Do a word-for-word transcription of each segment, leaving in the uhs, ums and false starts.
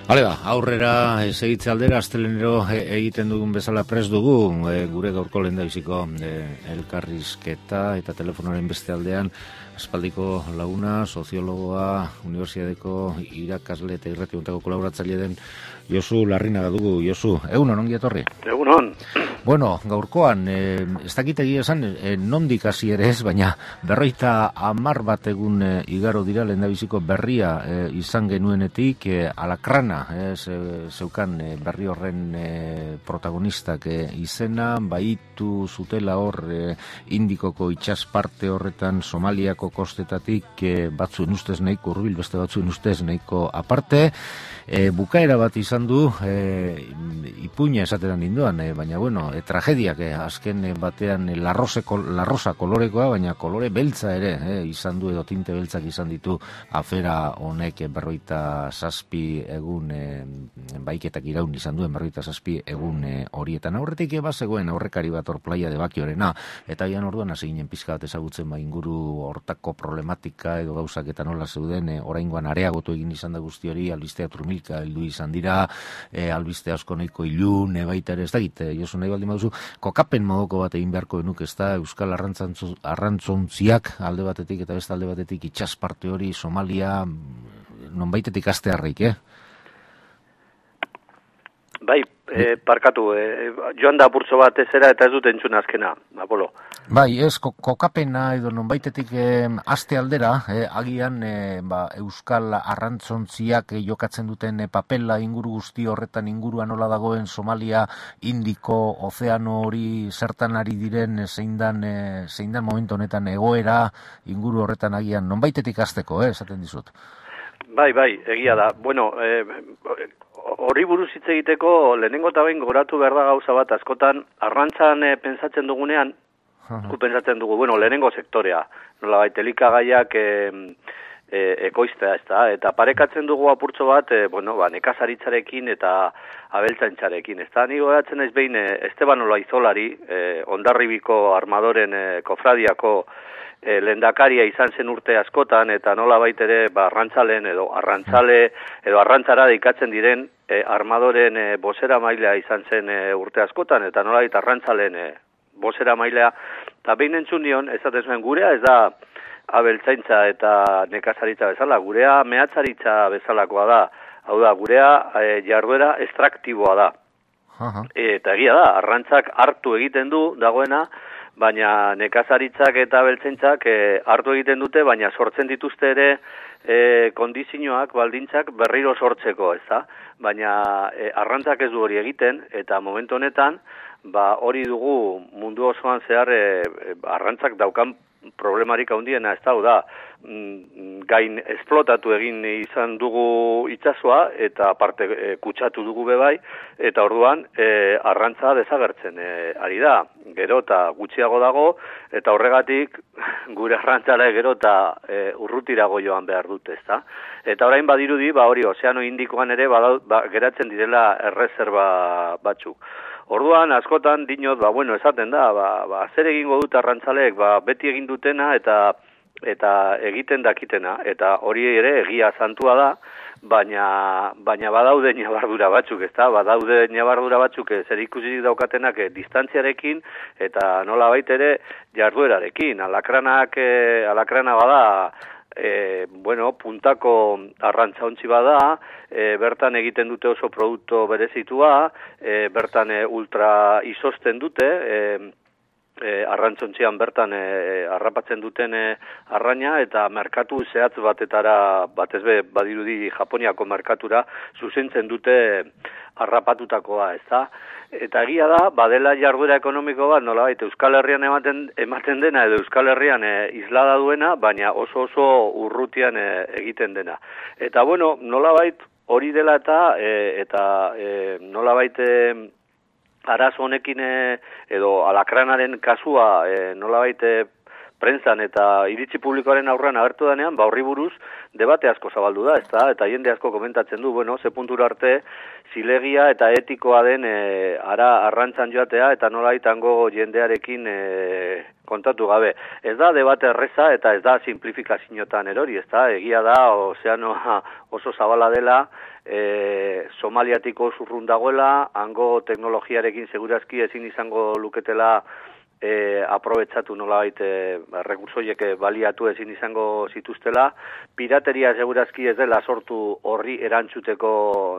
Hale ba, aurrera segitze aldera, astelenero egiten dugun bezala prest dugu, e, gure gaurko lehendabiziko e, elkarrizketa eta telefonoaren beste aldean, aspaldiko laguna, soziologoa, unibertsitateko irakasle eta irrationtako kolaboratzaile den Josu Larrinaga dugu. Josu, egunon, ongi etorri? Egunon. Bueno, gaurkoan, e, ez dakit egia esan, e, nondik hasi ere ez, baina berroita hamar bat egun e, igaro dira lehendabiziko berria e, izan genuenetik, e, Alakrana, e, ze, zeukan e, berri horren e, protagonistak e, izena, baitu zutela hor e, Indikoko itsasparte horretan Somaliako kostetatik e, batzuen ustez nahiko hurbil, beste batzuen ustez nahiko aparte, e, bukaera bat izan du, e, ipuña esateran ninduan, e, baina bueno, e, tragediak e, azken e, batean e, larrose, kol, larrosa kolorekoa, baina kolore beltza ere e, izan du, edo tinte beltzak izan ditu afera honek e, berroita zazpi egun e, baiketak iraun izan duen berroita zazpi egun e, horietan. Aurretik eba zegoen aurrekari bat hor Playa de Bakiorena, eta ian orduan hasi ginen pizka bat ezagutzen ba inguru hortako problematika edo gauzak eta nola zeuden, e, oraingoan areagotu egin izan da guzti hori, albistea turmilka heldu izan dira, e, albiste asko nahiko ilun, e, baita ere ez dakit, e, Josu nahi baldin baduzu, kokapen modoko bat egin beharko denuk, ez da, Euskal Arrantzontziak alde batetik eta beste alde batetik itsasparte hori, Somalia, nonbaitetik astearrik, eh? Bai, e, parkatu, e, joan da apurtzo bat ezera eta ez dut entzun azkena, Apolo. Bai, ez, kokapena edo nonbaitetik e, aste aldera, e, agian e, ba, Euskal Arrantzontziak e, jokatzen duten e, papela inguru guzti horretan inguruan nola dagoen Somalia, Indiko, Ozeano hori zertan ari diren e, zein dan, e, zein dan momentu honetan egoera inguru horretan agian nonbaitetik hasteko, eh, esaten dizut. Bai, bai, egia da. Bueno, e, horri buruz hitz egiteko lehenengo eta behin goratu behar da gauza bat, askotan arrantzan e, pentsatzen dugunean, gu pentsatzen dugu, bueno, lehenengo sektorea, nola baita elikagaiak e, e, ekoiztea, ez da, eta parekatzen dugu apurtxo bat, e, bueno, ba, nekazaritzarekin eta abeltzaintzarekin, ez da, ni goratzen naiz behin e, Esteban Olaizolari, e, Hondarribiko armadoren e, kofradiako E, lehendakaria izan zen urte askotan, eta nola baitere ba, arrantzalen edo arrantzale edo arrantzara deikatzen diren e, armadoren e, bozera mailea izan zen e, urte askotan, eta nola baita arrantzalen e, bozera mailea, eta behin entzun nion, ezaten zuen gurea, ez da abeltzaintza eta nekazaritza bezala, gurea mehatzaritza bezalakoa da, hau da, gurea e, jarduera estraktiboa da. Uh-huh. E, eta egia da, arrantzak hartu egiten du dagoena, baina nekazaritzak eta beltzaintzak e, hartu egiten dute, baina sortzen dituzte ere e, kondizioak, baldintzak berriro sortzeko, ez da? Baina e, arrantzak ez du hori egiten, eta momentu honetan, ba, hori dugu mundu osoan zehar e, arrantzak daukan problemarik handiena, ez da, da, gain esplotatu egin izan dugu itsasoa eta aparte e, kutsatu dugu bebai, eta orduan e, arrantza desagertzen e, ari da, gero eta gutxiago dago, eta horregatik gure arrantzara gero eta e, urrutirago joan behar dute, ezta? Eta orain badirudi, ba hori, Ozeano Indikoan ere ba, ba, geratzen direla erreserba batzuk. Orduan, askotan, dinot, ba, bueno, esaten da, ba, ba, zer egingo dut arrantzaleek, ba, beti egin dutena eta eta egiten dakitena, eta hori ere egia santua da, baina, baina badaude ñabardura batzuk, ez da, badaude ñabardura batzuk zer ikusi daukatenak e, distantziarekin, eta nola baitere jarduerarekin, alakranak, e, alakrana bada, E, bueno, puntako arrantzauntzi bada, e, bertan egiten dute oso produktu berezitua, e, bertan e, ultra izosten dute, e, e, arrantzontzian bertan e, harrapatzen duten e, arraina, eta merkatu zehatz batetara, batez be, badirudi Japoniako merkatura, zuzentzen dute harrapatutakoa, ez da? Eta egia da, badela jarduera ekonomiko bat, nolabait Euskal Herrian ematen, ematen dena, edo Euskal Herrian e, islada duena, baina oso oso urrutian e, egiten dena. Eta bueno, nolabait hori dela eta, e, eta e, nolabait e, arazo honekin e, edo alakranaren kasua e, nolabait e, prentsan eta iritzi publikoaren aurrean agertu denean, ba horri buruz debate asko zabaldu da, ezta? Eta jende asko komentatzen du, bueno, ze puntura arte zilegia eta etikoa den e, ara arrantzan joatea eta nola itango jendearekin e, kontatu gabe. Ez da debate erreza eta ez da simplifikazioetan erori, ezta? Egia da, ozeanoa oso zabala dela, e, Somaliatiko zurrun dagoela, hango teknologiarekin segurazki ezin izango luketela E, aprobetsatu nolabait e, rekursoiek baliatu ezin izango zituztela, pirateria segurazki ez dela sortu horri erantzuteko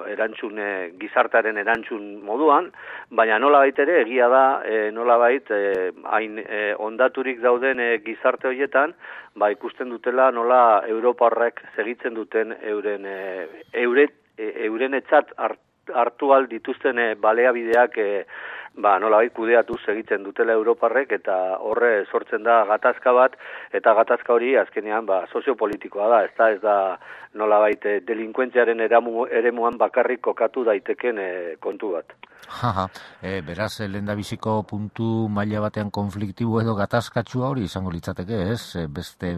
erantzun e, gizartearen erantzun moduan, baina nolabait ere egia da e, nolabait e, hain e, ondaturik dauden e, gizarte horietan, ba ikusten dutela nola Europarrek segitzen duten euren e, eure, e, euren etzat hartu al dituzten e, baleabideak e, ba, nolabait kudeatu egiten dutela Europarrek eta horre sortzen da gatazka bat eta gatazka hori azkenean ba, soziopolitikoa da, ez da, ez da nolabait delinkuentziaren eramu, eremuan bakarrik kokatu daiteken e, kontu bat. Jaja, e, beraz, lehendabiziko puntu maila batean konfliktibo edo gatazkatsua hori izango litzateke, ez? Beste,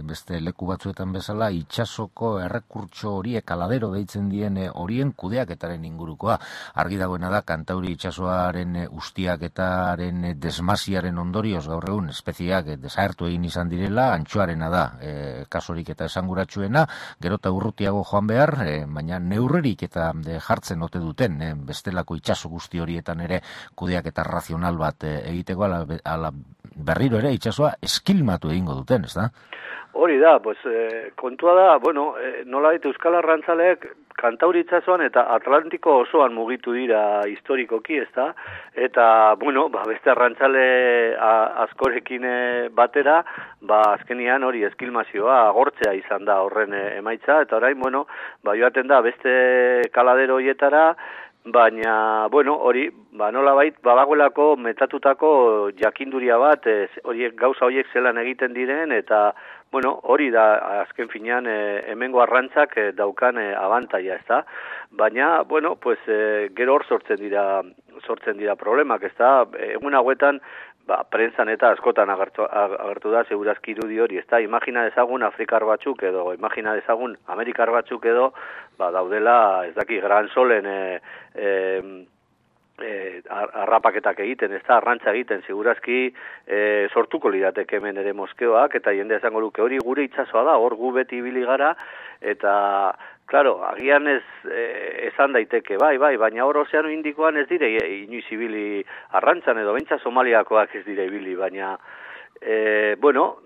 beste leku batzuetan bezala, itsasoko errekurtso horiek kaladero deitzen dien horien kudeaketaren ingurukoa. Argi dagoena da, Kantauri itsasoaren ustiaketaren desmasiaren ondorioz gaur egun espeziak desagertu egin izan direla, antxoarena da e, kasurik eta esanguratsuena, gero eta urrutiago joan behar, e, baina neurrerik eta de, jartzen ote duten, e, bestelako itsaso guzti horietan ere kudeak eta razional bat e, egiteko ala, ala berriro ere itsasoa eskilmatu egingo duten, ez da? Hori da, pues, eh, kontua da, bueno, eh, nolabait Euskal Arrantzaleek Kantauri itsasoan eta Atlantiko osoan mugitu dira historikoki, ezta? Eta, bueno, ba, beste arrantzale a, askorekin e, batera, ba, azkenian hori eskilmazioa agortzea izan da horren e, emaitza, eta orain, bueno, ba, joaten da beste kaladero hoietara, baina, bueno, hori, ba, nolabait, badagoelako metatutako jakinduria bat, ez, horiek gauza horiek zelan egiten diren, eta, bueno, hori da, azken finean, e, hemengo arrantzak e, daukan e, abantaia, ez da? Baina, bueno, pues, e, gero hor sortzen dira, sortzen dira problemak, ez da? Egun hauetan, ba, prentsan eta askotan agertu, agertu da, segurazki irudi hori, ez da? Imagina dezagun Afrikar batzuk edo, imagina dezagun Amerikar batzuk edo, ba, daudela, ez daki, Gran Solen, e, e, E, arrapaketak egiten, ez da, arrantza egiten, segurazki e, sortuko lirateke hemen ere moskeoak, eta jende esango luke hori gure itsasoa da, hor gu beti ibili gara, eta, claro, agian ez e, esan daiteke, bai, bai, baina hor Ozeano Indikoan ez dire inoiz ibili arrantzan, edo bentsa Somaliakoak ez dire ibili, baina E, bueno,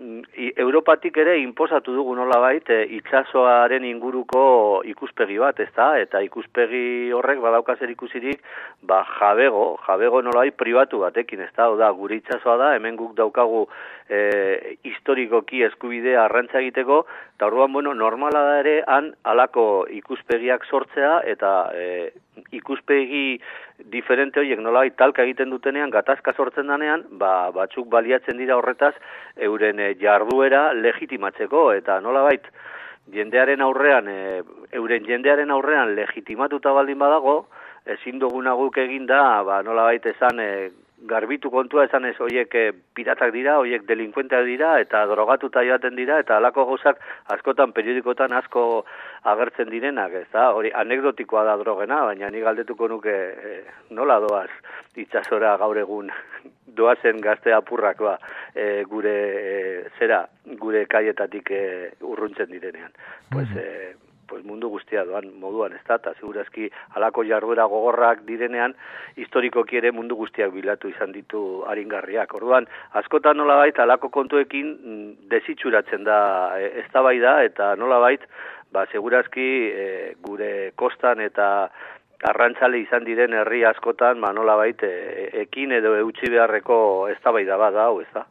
Europatik ere inposatu dugu nolabait e, itsasoaren inguruko ikuspegi bat, ezta? Eta ikuspegi horrek badauka zer ikusirik, ba jabego, jabego nolabait pribatu batekin, ezta? Oda, gure itsasoa da, hemen guk daukagu e, historikoki eskubidea arrantza egiteko, eta orduan, bueno, normala da ere han halako ikuspegiak sortzea eta e, ikuspegi diferente horiek nolabait talka egiten dutenean, gatazka sortzen danean, ba, batzuk baliatzen dira horretaz euren e, jarduera legitimatzeko, eta nolabait jendearen aurrean, e, euren jendearen aurrean legitimatuta baldin badago, ezin duguna guk egin da, ba, nolabait esan e, garbitu kontua esan ez horiek e, piratak dira, horiek delinkuenteak dira, eta drogatuta joaten dira, eta halako gauzak askotan periodikotan asko agertzen direnak, ez da? Hori anekdotikoa da drogena, baina ni galdetuko nuke e, nola doaz itsasora gaur egun doazen gazte apurrak ba, e, gure e, zera, gure kaietatik e, urruntzen direnean. Pues, e, pues mundu guztia doan moduan, ez da, eta segurazki halako jarduera gogorrak direnean, historikoki ere mundu guztiak bilatu izan ditu aringarriak. Orduan, askotan nolabait halako kontuekin desitxuratzen da e, eztabaida eta nolabait, ba, segurazki e, gure kostan eta arrantzale izan diren herri askotan, ba, nolabait, e, ekin edo eutxi beharreko eztabaida bat da, hau, ez da?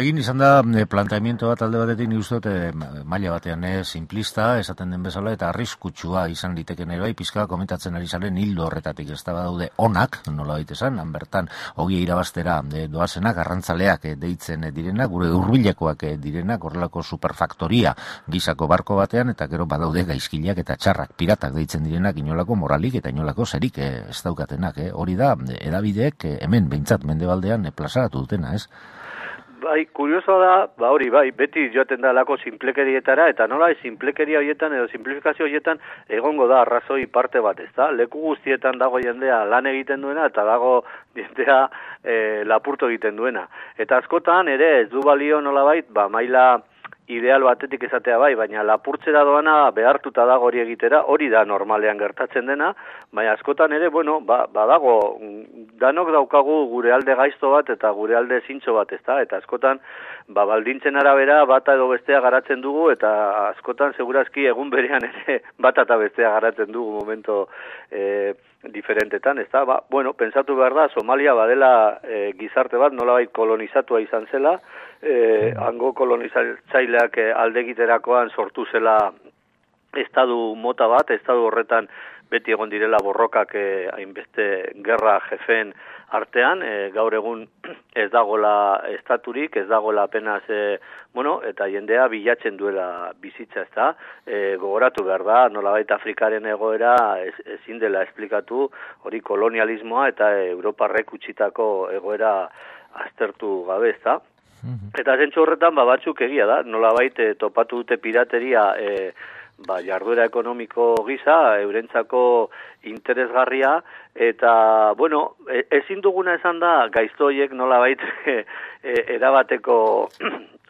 Egin izan da planteamiento bat alde batetik nik uste dut maila batean eh, simplista, esaten den bezala, eta arriskutsua izan liteken ere bai, pizka komentatzen ari zaren hildo horretatik, ez da badaude onak, nolabait esan, han bertan ogia irabaztera de, doazenak, arrantzaleak eh, deitzen direnak, gure hurbilekoak eh, direnak, horrelako superfaktoria gizako barko batean, eta gero badaude gaizkileak eta txarrak, piratak deitzen direnak, inolako moralik eta inolako zerik eh, ez daukatenak, eh? Hori da, edabideek eh, hemen behintzat mendebaldean eh, plazaratu dutena, ez? bai, kuriosoa da, ba hori, bai, beti joaten da lako simplekerietara, eta nola simplekeria horietan edo simplifikazio horietan egongo da arrazoi parte bat, ez da? Leku guztietan dago jendea lan egiten duena, eta dago jendea e, lapurto egiten duena. Eta askotan ere ez du balio nolabait, ba maila ideal batetik esatea bai, baina lapurtzera doana behartuta dago hori egitera, hori da normalean gertatzen dena, baina askotan ere, bueno, ba, badago, danok daukagu gure alde gaizto bat eta gure alde zintxo bat, ezta? Eta askotan, ba, baldintzen arabera bata edo bestea garatzen dugu, eta askotan segurazki egun berean ere bata eta bestea garatzen dugu momento e, diferentetan, ezta? Ba, bueno, pensatu behar da, Somalia badela e, gizarte bat nolabait kolonizatua izan zela, e, hango kolonizatzaileak e, aldegiterakoan sortu zela estadu mota bat, estadu horretan beti egon direla borrokak eh, hainbeste gerra jefeen artean, eh, gaur egun ez dagola estaturik, ez dagola apenas, eh, bueno, eta jendea bilatzen duela bizitza, ez da, eh, gogoratu behar da, nolabait Afrikaren egoera ez, ezin dela esplikatu, hori kolonialismoa eta Europarrek utzitako egoera aztertu gabe, ez da. Eta zentzu horretan, ba, batzuk egia da, nolabait eh, topatu dute pirateria eh, ba, jarduera ekonomiko gisa, eurentzako interesgarria, eta, bueno, ezin duguna esan da, gaiztoiek nolabait e, erabateko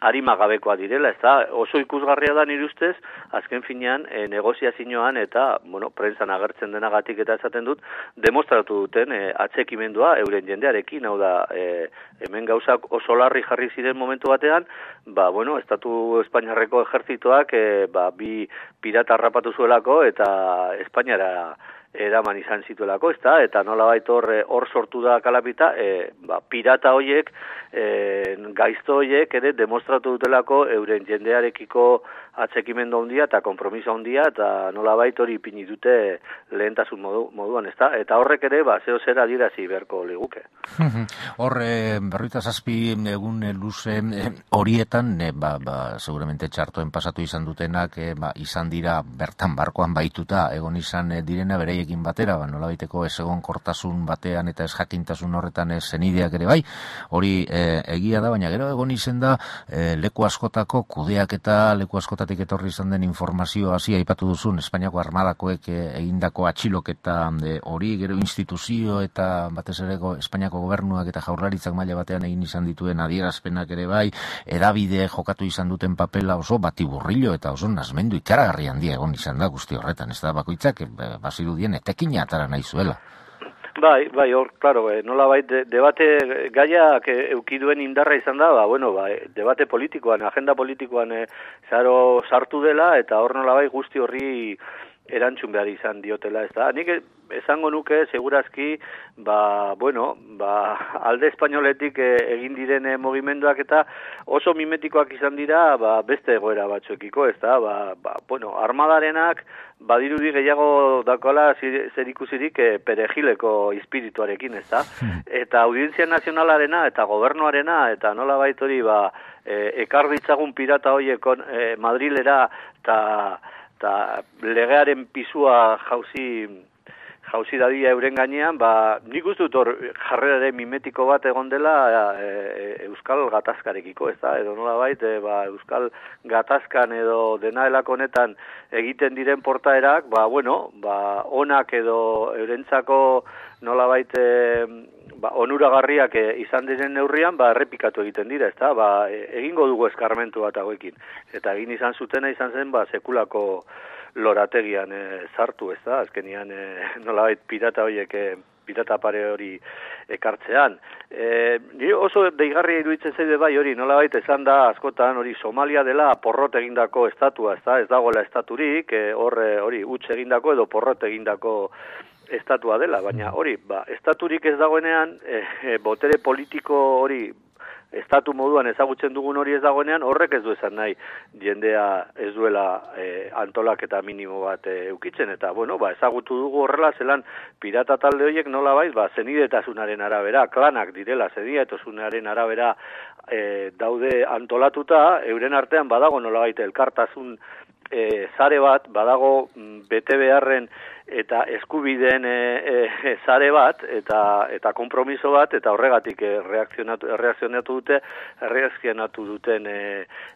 arimagabekoa direla, ez da, oso ikusgarria da nire ustez, azken finean, e, negoziazioan eta, bueno, prentsan agertzen denagatik eta esaten dut, demostratu duten e, atxekimendua euren jendearekin, hau da, e, hemen gauzak oso larri jarri ziren momentu batean, ba, bueno, Estatu Espainiarreko ejertzitoak, e, ba, bi pirata harrapatu zuelako eta Espainiara eraman izan zituelako, ezta? Eta nolabait hor hor sortu da kalapita, e, ba, pirata hoiek, e, gaizto hoiek ere demostratu dutelako euren jendearekiko atxekimendu handia eta konpromiso handia, eta nolabait hori ipini dute lehentasun modu, moduan, ezta? Eta horrek ere, ba, zeo zer adirazi beharko liguke. Hor, e, berrogeita zazpi egun luze horietan, e, ba, ba, seguramente txartoen pasatu izan dutenak, e, ba, izan dira bertan barkoan baituta, egon izan e, direna bereiekin batera, ba, nolabaiteko ez egon kortasun batean eta ez jakintasun horretan ez zenideak ere bai, hori e, egia da, baina gero egon izan da e, leku askotako kudeak eta leku askotako etorri izan den informazio hasi aipatu duzun Espainiako armadakoek egindako atxiloketa hori, gero instituzio eta batez ere Espainiako gobernuak eta jaurlaritzak maila batean egin izan dituen adierazpenak ere bai, edabide jokatu izan duten papela oso batiburrillo eta oso nazmendu ikaragarri handia egon izan da guzti horretan, ez da bakoitzak bazirudien etekina atara nahi zuela. Bai, bai, hor, claro, eh, nola bai, de, debate gaiak eh, eukiduen indarra izan da, ba, bueno, ba, debate politikoan, agenda politikoan eh, zaro sartu dela, eta hor nola bai guzti horri erantzun behar izan diotela, ez da. Nik esango nuke, segurazki, ba, bueno, ba, alde espainoletik eh, egin diren eh, mugimenduak eta oso mimetikoak izan dira, ba, beste egoera batzuekiko, ez da, ba, ba, bueno, armadarenak, badirudi gehiago dakola zer ikusirik e, perejileko espirituarekin, ez da? Eta Audientzia Nazionalarena eta gobernuarena eta nola baitori ba, e, ekar ditzagun pirata horiek e, Madrilera eta legearen pisua jauzi jauzi dadia euren gainean, ba, nik uste dut hor jarrerare mimetiko bat egon dela e, e, Euskal Gatazkarekiko, ez da, edo nola bait, e, ba, Euskal Gatazkan edo dena delako honetan egiten diren portaerak, ba, bueno, ba, onak edo eurentzako nola bait, e, ba, onuragarriak e, izan diren neurrian, ba, errepikatu egiten dira, ez da, ba, e, egingo dugu eskarmentu bat hauekin, eta egin izan zutena izan zen, ba, sekulako lorategian e, sartu, ez da, azkenian e, nolabait pirata horiek, e, pirata pare hori ekartzean. E, oso deigarria iruditzen zaide bai hori, nolabait esan da askotan hori Somalia dela porrot egindako estatua, ez da, ez dagoela estaturik, e, horre hori huts egindako edo porrot egindako estatua dela, baina hori, ba, estaturik ez dagoenean, e, e, botere politiko hori, estatu moduan ezagutzen dugun hori ez dagoenean, horrek ez du esan nahi jendea ez duela e, antolaketa minimo bat e, eukitzen, eta bueno, ba, ezagutu dugu horrela zelan pirata talde horiek nola baiz, ba, zenidetasunaren arabera, klanak direla, zenidetasunaren arabera e, daude antolatuta, euren artean badago nola baita elkartasun e, zare bat, badago bete beharren eta eskubideen e, e, zare bat, eta eta konpromiso bat, eta horregatik e, reakzionatu, reakzionatu dute, reakzionatu duten e,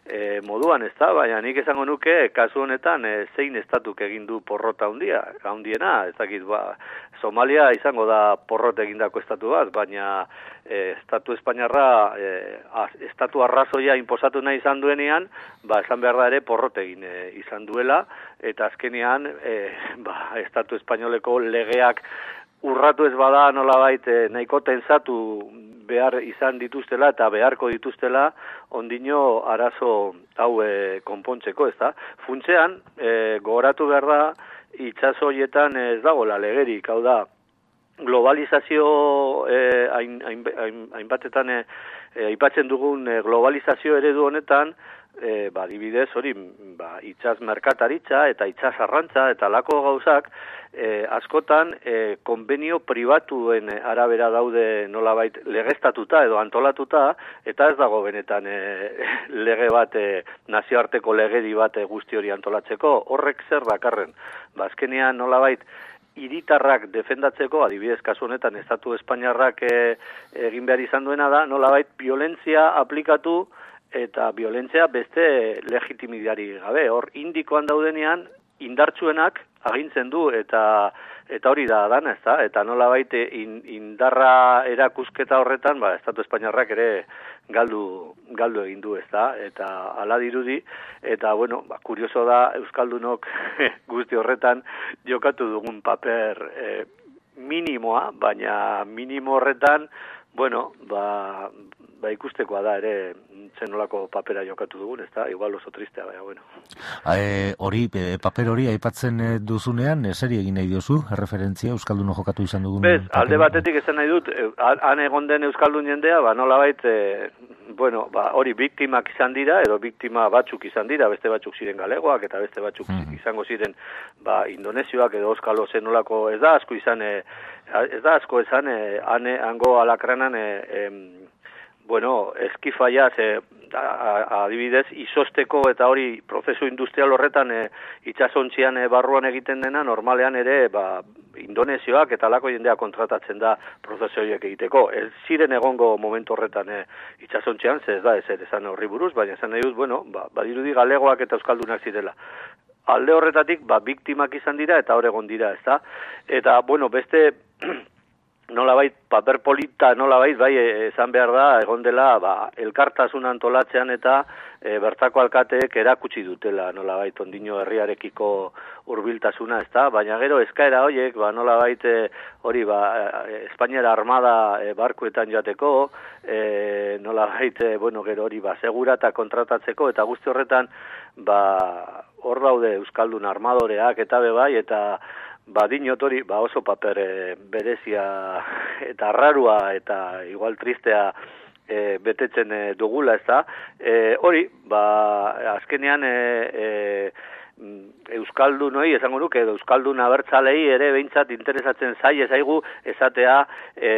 e, moduan, ez da? Baina nik esango nuke, kasu honetan, e, zein estatuk egin du porrota handia, handiena, ez dakit, ba, Somalia izango da porrot egindako estatu bat, baina e, estatu espainiarra, e, a, estatu arrazoia inposatu nahi izan duenean, ba, esan behar da ere porrot egin e, izan duela, eta azkenean, e, ba, estatu espainoleko legeak urratu ez bada nolabait e, nahiko tensatu behar izan dituztela eta beharko dituztela ondino arazo hau e, konpontzeko, ez da? Funtzean, e, gogoratu behar da, itxaso horietan ez dagoela legerik, hau da, globalizazio eh, hain, hain, hain, hainbatetan eh, aipatzen dugun eh, globalizazio eredu honetan, eh, ba, dibidez hori, ba, itxas merkataritza eta itxas arrantza eta lako gauzak, eh, askotan eh, konbenio pribatuen arabera daude nolabait legeztatuta edo antolatuta, eta ez dago benetan eh, lege bat, eh, nazioarteko legedi bat eh, guzti hori antolatzeko, horrek zer dakarren. Ba, azkenean nolabait hiritarrak defendatzeko, adibidez kasu honetan estatu espainiarrak e, egin behar izan duena da, nolabait violentzia aplikatu eta violentzia beste legitimidari gabe. Hor indikoan daudenean indartsuenak agintzen du eta eta hori da dana, ezta? Eta nolabait in, indarra erakusketa horretan, ba estatu espainiarrak ere galdu galdu egin du, ezta? Eta hala dirudi, eta bueno, ba, kurioso da euskaldunok guzti horretan jokatu dugun paper eh, minimoa, baina minimo horretan, bueno, ba, ba ikustekoa da ere zenolako papera jokatu dugun, ezta? Igual oso tristea, baina bueno. E, hori, e, paper hori aipatzen duzunean, zeri egin nahi diozu, referentzia, Euskalduno jokatu izan dugun? Bez, alde batetik esan nahi dut, han egon den Euskaldun jendea, ba nolabait, e, bueno, ba hori biktimak izan dira, edo biktima batzuk izan dira, beste batzuk ziren galegoak, eta beste batzuk mm. izango ziren, ba, indonesioak edo euskalo zenolako, ez da asko izan, e, ez da asko izan, e, ane, hango alakranan, e, e, bueno, eskifaiaz, e, adibidez, izosteko eta hori prozesu industrial horretan e, itxasontzian e, barruan egiten dena, normalean ere, ba, indonesioak eta lako jendea kontratatzen da prozesu horiek egiteko. Ez ziren egongo momentu horretan e, itxasontzian, ze ez da, ez esan horri buruz, baina esan nahi dut, bueno, ba, badirudi galegoak eta euskaldunak zirela. Alde horretatik, ba, biktimak izan dira eta hor egon dira, ez da? Eta, bueno, beste nolabait, paper polita nolabait, bai, esan behar da, egon dela, ba, elkartasun antolatzean eta e, bertako alkateek erakutsi dutela, nolabait, ondino herriarekiko hurbiltasuna, ez da? Baina gero, eskaera horiek, ba, nolabait, e, hori, ba, Espainiara armada e, barkuetan joateko, e, nolabait, e, bueno, gero hori, ba, segurata kontratatzeko, eta guzti horretan, ba, hor daude Euskaldun armadoreak, eta bebai, eta ba, dinot hori, ba, oso paper e, berezia eta arrarua eta igual tristea e, betetzen e, dugula, ez da. E, hori, ba, azkenean e, e, Euskaldun hori, esango nuke, edo Euskaldun abertzalei ere behintzat interesatzen zai ezaigu esatea e,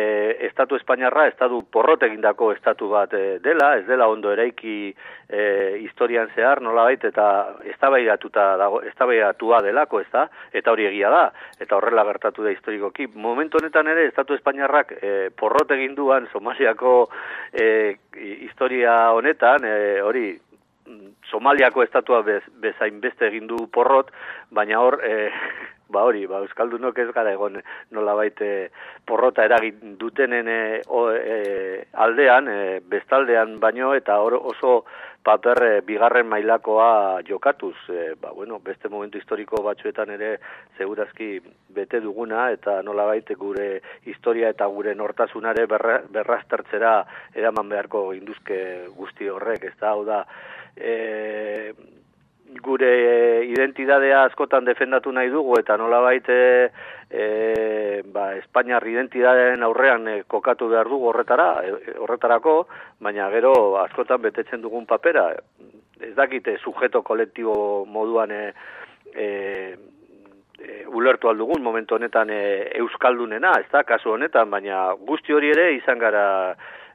estatu espainiarra, estatu porrot egindako estatu bat e, dela, ez dela ondo eraiki e, historian zehar, nolabait, eta eztabaidatuta dago, eztabaidatua delako, ez da, eta hori egia da, eta horrela gertatu da historikoki. Momentu honetan ere, estatu espainiarrak e, porrot eginduan Somaliako e, historia honetan, e, hori, Somaliako estatua bez, bezain beste egin du porrot, baina hor, e, ba hori, ba, Euskaldunok ez gara egon nolabait e, porrota eragin dutenen e, o, e, aldean, e, bestaldean baino, eta hor oso paper e, bigarren mailakoa jokatuz. E, ba, bueno, beste momentu historiko batzuetan ere segurazki bete duguna, eta nolabait gure historia eta gure nortasunare berra, berraztertzera eraman beharko induzke guzti horrek, ez da, hau da, E, gure identidadea askotan defendatu nahi dugu eta nolabait e, e, ba, Espainiar identidadearen aurrean e, kokatu behar dugu horretara, e, horretarako, baina gero askotan betetzen dugun papera, ez dakite sujeto kolektibo moduan e, e, e, ulertu aldugun momentu honetan e, euskaldunena, ez da, kasu honetan, baina guzti hori ere izan gara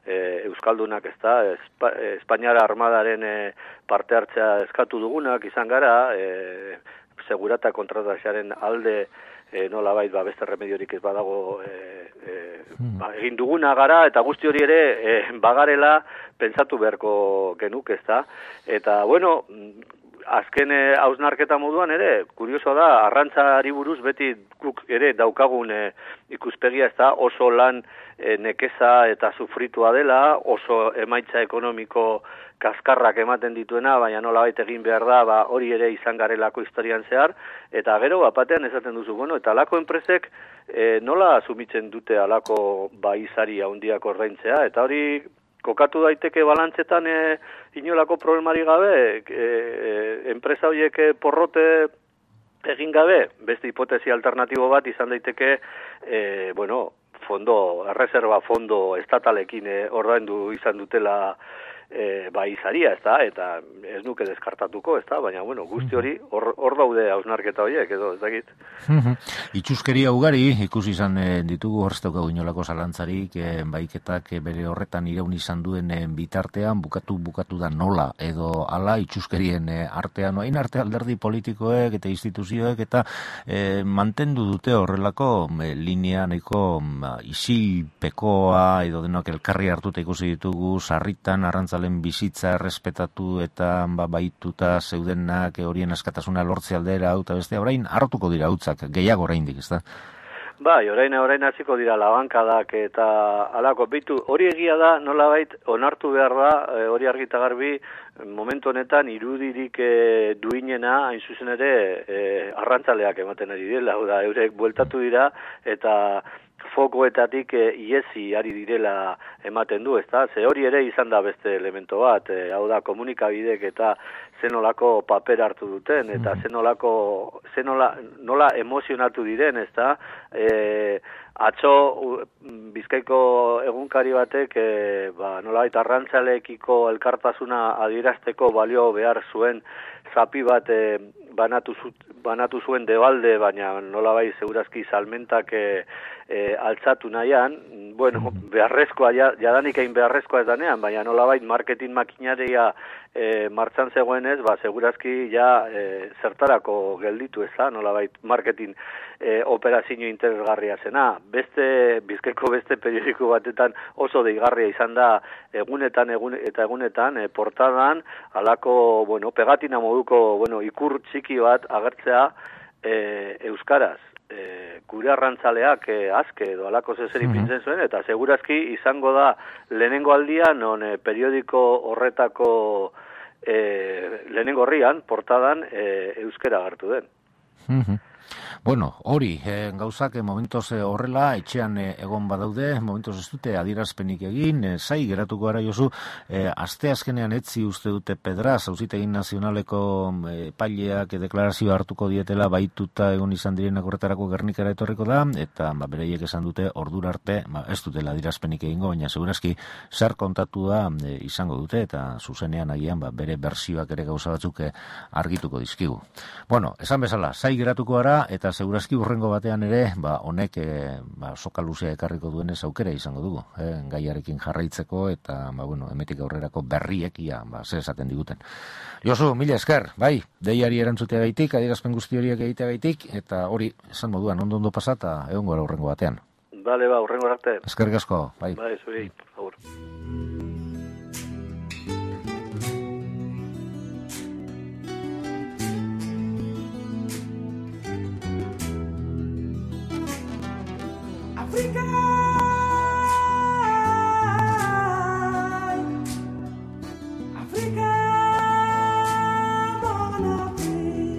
E, Euskaldunak, ez da, Espa, Espainiara armadaren e, parte hartzea eskatu dugunak izan gara, e, segurata kontratazioaren alde e, nola bait, ba, beste remediorik ez badago e, e, ba, egin duguna gara, eta guzti hori ere e, bagarela pentsatu beharko genuk, ez da. Eta, bueno, azken hausnarketa moduan ere, kurioso da, arrantzari buruz beti guk ere daukagun e, ikuspegia, ez da, oso lan e, nekeza eta sufritua dela, oso emaitza ekonomiko kaskarrak ematen dituena, baina nolabait egin behar da, ba, hori ere izan garelako historian zehar, eta gero, bapatean esaten duzu, bueno, eta alako enpresek e, nola asumitzen dute alako baizari handiak ordaintzea, eta hori kokatu daiteke balantzetan e, inolako problemari gabe, e, e, enpresa horiek porrote egin gabe, beste hipotesi alternatibo bat izan daiteke, e, bueno, fondo, erreserba fondo estatalekin e, ordaindu izan dutela E, bai izaria, ez da, eta ez nuke deskartatuko, ez da, baina, bueno, guzti hori, hor, hor daude hausnarketa horiek, edo, ez dakit. Itxuskeria ugari, ikusi izan e, ditugu horrezteuka inolako zalantzarik, e, baiketak e, bere horretan iraun izan duen e, bitartean, bukatu, bukatu da nola, edo ala, itxuskerien e, artean, oain arte alderdi politikoek eta instituzioek, eta e, mantendu dute horrelako e, linea nahiko isilpekoa, edo denok elkarri hartuta ikusi ditugu, sarritan, arrantza bizitza errespetatu eta ba, baituta zeudenak horien askatasuna lortze aldera hau eta beste, orain hartuko dira hautzak, gehiago oraindik, ez da? Bai, orain orain hasiko dira labankadak eta alako bitu, hori egia da, nolabait onartu behar da, hori argita garbi, momentu honetan irudirik e, duinena, hain zuzen ere, e, arrantzaleak ematen ari dela, da, eurek bueltatu dira, eta fokoetatik e, iesi ari direla ematen du, ezta? Ze hori ere izan da beste elemento bat, e, hau da komunikabidek eta zenolako paper hartu duten, eta zenolako, zenola, nola emozionatu diren, ezta? E, atzo Bizkaiko egunkari batek e, ba, nolabait arrantzaleekiko elkartasuna adierazteko balio behar zuen zapi bat e, banatu, zu, banatu zuen debalde, baina nolabait segurazki salmentak e, e, altzatu nahian, bueno, beharrezkoa, jadanik egin beharrezkoa ez danean, baina nolabait marketing makinaria e, martxan zegoenez, ba, segurazki ja e, zertarako gelditu ez da, nolabait marketing e, operazio interesgarria zena. Beste, Bizkaiko beste periodiko batetan oso deigarria izan da egunetan egun, eta egunetan e, portadan, alako, bueno, pegatina moduko, bueno, ikur txiki bat agertzea e, euskaraz. E, gure arrantzaleak e, azke edo alako zezeri mm-hmm. pintzen zuen, eta segurazki izango da lehenengo aldian, non e, periodiko horretako e, lehenengo horrian, portadan, e, euskera agertu den. Mm-hmm. Bueno, hori, eh, gauzak eh, momentoz eh, horrela, etxean eh, egon badaude, momentoz ez dute adierazpenik egin, eh, zai geratuko gara Josu, eh, aste azkenean etzi uste dute Pedraz, Auzitegin Nazionaleko eh, paileak eh, deklarazioa hartuko dietela, baituta egon izan direnak horretarako Gernikara etorriko da, eta ba, bereiek esan dute ordura arte, ba, ez dutela adierazpenik egingo, baina segurazki zer kontatu da eh, izango dute, eta zuzenean agian ba, bere bersioak ere gauza batzuk eh, argituko dizkigu. Bueno, esan bezala, zai geratuko gara, eta segurazki urrengo batean ere, ba, honek e, ba, soka luzea ekarriko duenez aukera izango dugu, eh, gaiarekin jarraitzeko, eta ba, bueno, emetik aurrerako berriek ia, ba, ze esaten diguten. Josu, mila esker, bai, deiari erantzutea gaitik, adierazpen guzti horiek egitea gaitik, eta hori, esan moduan, ondo ondo pasata, egon gara urrengo batean. Bale, ba, urrengo arte. Eskerrik asko, bai. Bai, zuri, agur. Africa, Africa, mon Afrique.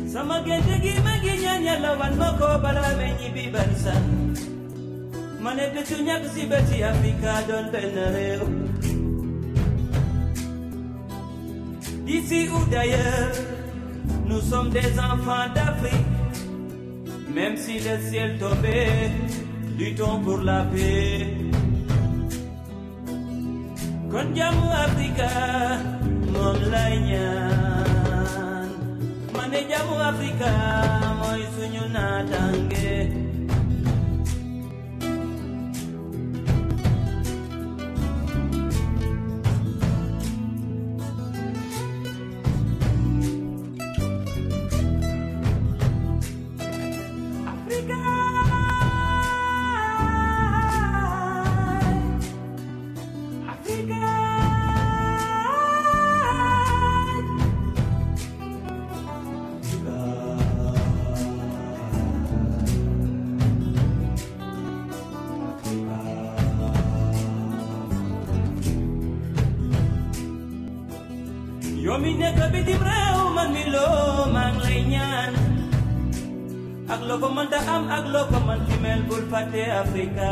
Sama gente gi maginya nyala wan moko bala benyi bibarsan. Mane betunya si beti Afrika don benere. D'ici ou d'ailleurs, nous sommes des enfants d'Afrique. Même si le ciel tombait, luttons pour la paix. Kon jamu Afrika, mon lainyan. Mane jamu Afrika, moy suñu natange. Yo mi nekk bitim réew man mi loo maa ngi lay ñaan ak loo ko mën ta am ak loo ko mën ci mel bul fàtte Africa.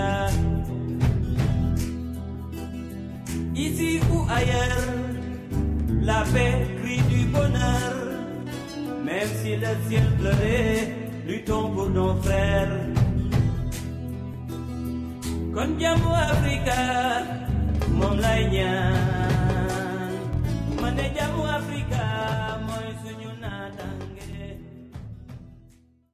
Ici ou ailleurs, la paix crie du bonheur. Même si le ciel pleurait, luttons pour nos frères. Kon jàmmu Africa moom lay ñaan.